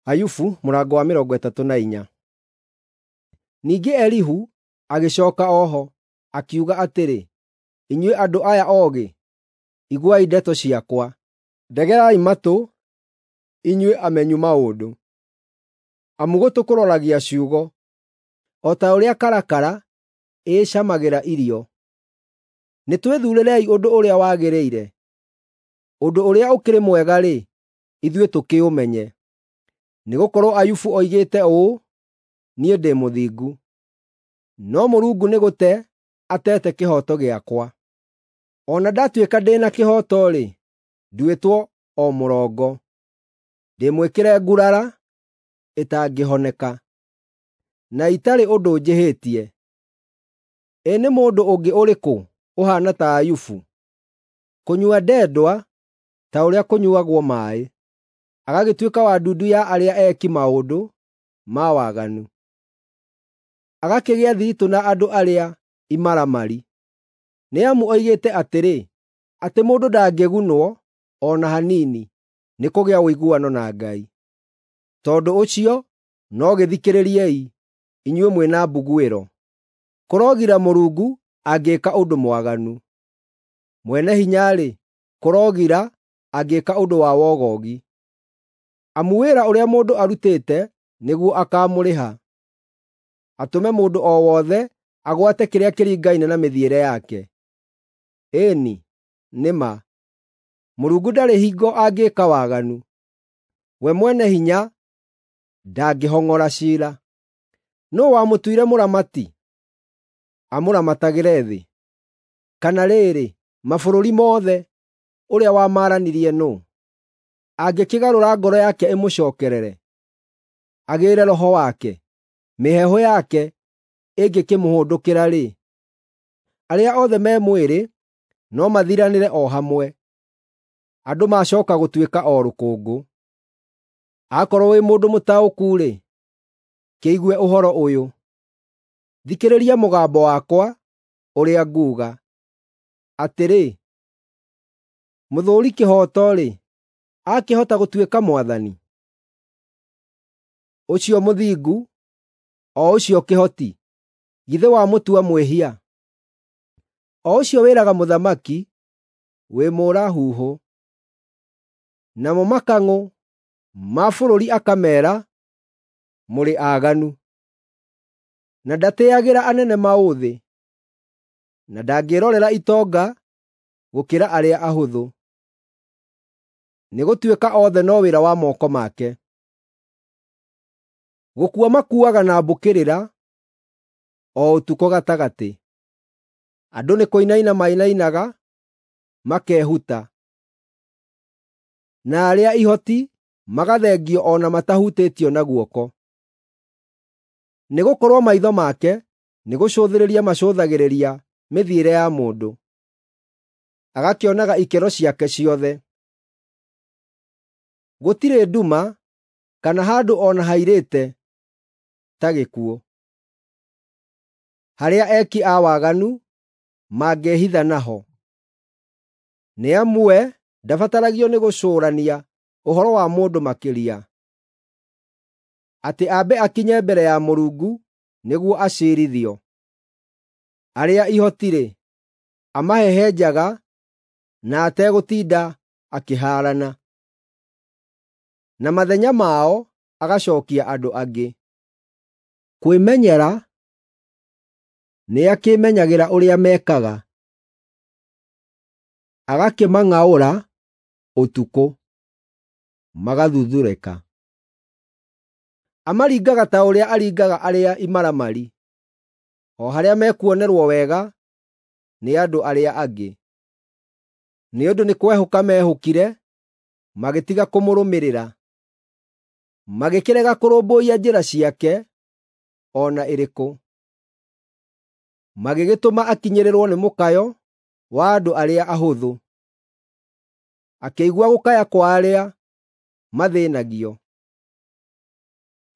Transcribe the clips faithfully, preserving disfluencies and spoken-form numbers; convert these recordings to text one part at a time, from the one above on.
Ayubu mũrango wa mĩrongo ĩtatũ na inya. Ningĩ Elihu agĩcooka o ho, akiuga atĩrĩ, “Inyuĩ andũ aya oogĩ, iguai ndeto ciakwa; ndegerai matũ, inyuĩ amenyu maũndũ. Amu gũtũ kũroragia ciugo, o ta ũrĩa karakara ĩĩcamagĩra irio. Nĩtwĩthuurĩrei ũndũ ũrĩa wagĩrĩire; ũndũ ũrĩa ũkĩrĩ mwega-rĩ, ithuĩ tũkĩũmenye. Nĩgũkorwo Ayubu oigĩte ũũ, ‘Niĩ ndĩ mũthingu, no Mũrungu nĩ gũte ateete kĩhooto gĩakwa. O na ndatuĩka ndĩ na kĩhooto-rĩ, nduĩtwo o mũrongo; ndĩmwĩkĩre ngurara ĩtangĩhoneka, na itarĩ ũndũ njĩhĩtie. Ĩ nĩ mũndũ ũngĩ ũrĩkũ ũhaana ta Ayubu, kũnyua ndendwa ta ũrĩa kũnyuuagwo maaĩ, agagĩtuĩka wa ndundu ya arĩa eeki maũndũ ma waganu, agakĩgĩa thiritũ na andũ arĩa imaramari? Nĩ amu oigĩte atĩrĩ, atĩ mũndũ ndangĩgunwo o na hanini nĩ kũgĩa ũiguano na Ngai. Tondũ ũcio no gĩthikĩrĩriei, inyuĩ mwĩ na mbuguĩro. Kũrogira Mũrungu angĩĩka ũndũ mwaganu; Mwene-Hinya-rĩ, kũrogira angĩĩka ũndũ wa wogogi. Amu wĩra ũrĩa mũndũ arutĩte nĩguo akaamũrĩha, atũme mũndũ o wothe agwate kĩrĩa kĩringaine na mĩthiĩre yake. Ĩĩ-ni, nĩ ma, Mũrungu ndarĩ hingo angĩĩka waganu; we Mwene-Hinya ndangĩhong'ora ciira. Nũũ wamũtuire mũramati, amũramatagĩre thĩ? Kana rĩrĩ, mabũrũri mothe, ũrĩa wamaaranirie nũũ? Angĩkĩgarũra ngoro yake ĩmũcookerere, agĩĩre roho wake, mĩheehũ yake ĩngĩkĩmũhũndũkĩra-rĩ, arĩa othe me mwĩrĩ no mathiranĩre o hamwe, andũ macooka gũtuĩka o rũkũngũ. Akorwo wĩ mũndũ mũtaũku-rĩ, kĩigue ũhoro ũyũ; thikĩrĩria mũgambo wakwa ũrĩa nguuga. Atĩrĩ, mũthũũri kĩhooto-rĩ, akĩhota gũtuĩka mwathani? Ũcio mũthingu, o ũcio kĩhoti, githĩ wamũtua mwĩhia? O ũcio wĩraga mũthamaki, “Wĩ mũũra-huhũ,” namo makang'ũ ma bũrũri akameera, “Mũrĩ aaganu.” Na ndatĩĩagĩra anene maũthĩ, na ndangĩĩrorera itonga gũkĩra arĩa ahũthũ, nĩgũtuĩka othe no wĩra wa moko make. Gũkua makuuaga na mbũkĩrĩra o ũtukũ gatagatĩ; andũ nĩ kũinaina mainainaga makehuta, na arĩa ihoti magathengio o na matahutĩtio na guoko. Nĩgũkorwo maitho make nĩgũcũthĩrĩria macũthagĩrĩria mĩthiĩre ya mũndũ, agakĩonaga ikĩro ciake ciothe. Gũtirĩ nduma kana handũ o na hairĩte ta gĩkuũ, harĩa eki a waganu mangĩĩhitha naho. Nĩ amu we ndabataragio nĩ gũcũũrania ũhoro wa mũndũ makĩria, atĩ ambe akinye mbere ya Mũrungu nĩguo aciirithio. Arĩa ihoti-rĩ, amahehenjaga na ategũtinda akĩhaarana, na mathenya mao agacookia andũ angĩ. Kwĩmenyera nĩakĩĩmenyagĩra ũrĩa mekaga, agakĩmang'aũra ũtukũ, magathuthũrĩka. Amaringaga ta ũrĩa aringaga arĩa imaramari, o harĩa mekuonerwo wega nĩ andũ arĩa angĩ. Nĩ ũndũ nĩ kwehũka meehũkire, magĩtiga kũmũrũmĩrĩra, magĩkĩrega kũrũmbũiya njĩra ciake o na ĩrĩkũ. Magĩgĩtũma akinyĩrĩrwo nĩ mũkayo wa andũ arĩa ahũthũ, akĩigua gũkaya kwa arĩa mathĩĩnagio.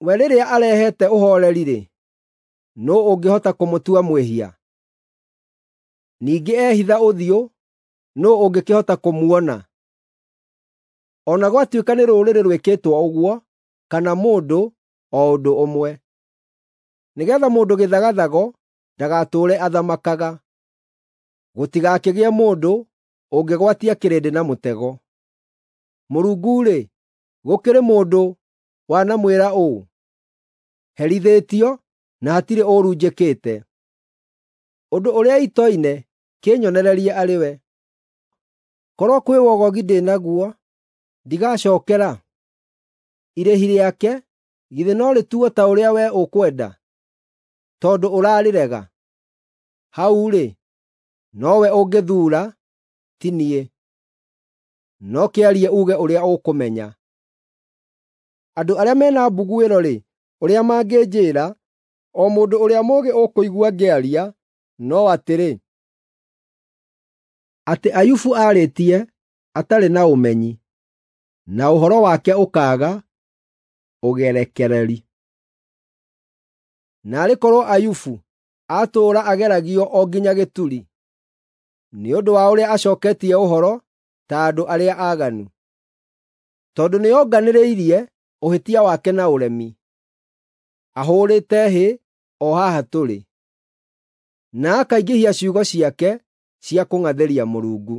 We rĩrĩa arehete ũhooreri-rĩ, nũũ ũngĩhota kũmũtua mwĩhia? Ningĩ ehitha ũthiũ, nũũ ũngĩkĩhota kũmuona? O na gwatuĩka nĩ rũrĩrĩ rwĩkĩtwo ũguo, kana mũndũ o ũndũ ũmwe, nĩgeetha mũndũ gĩthagathago ndagatũũre athamakaga. Gũtigakĩgĩe mũndũ ũngĩgwatia kĩrĩndĩ na mũtego. Mũrungu-rĩ, gũkĩrĩ mũndũ wanamwĩra ũũ, ‘Herithĩtio na hatirĩ ũũru njĩkĩte’? Ũndũ ũrĩa itoine kĩnyonererie arĩ we. Korwo kwĩ wogogi ndĩ naguo, ndigacookera? Irĩhi rĩake githĩ no rĩtuo ta ũrĩa wee ũkwenda, tondũ ũrarĩrega? Hau-rĩ, nowe ũngĩthuura, ti niĩ. No kĩarie uuge ũrĩa ũkũmenya. Andũ arĩa me na mbuguĩro-rĩ, ũrĩa mangĩnjĩĩra, o mũndũ ũrĩa mũũgĩ ũkũigua ngĩaria, no atĩrĩ, atĩ Ayubu aarĩtie atarĩ na ũmenyi, na ũhoro wake ũkaaga ũgerekereri. Naarĩ korwo Ayubu atũũra ageragio o nginya gĩturi, nĩ ũndũ wa ũrĩa acooketie ũhoro ta andũ arĩa aaganu! Tondũ nĩonganĩrĩirie ũhĩtia wake na ũremi, ahũũrĩte hĩ o haha tũrĩ, na akaingĩhia ciugo ciake cia kũng'athĩria Mũrungu.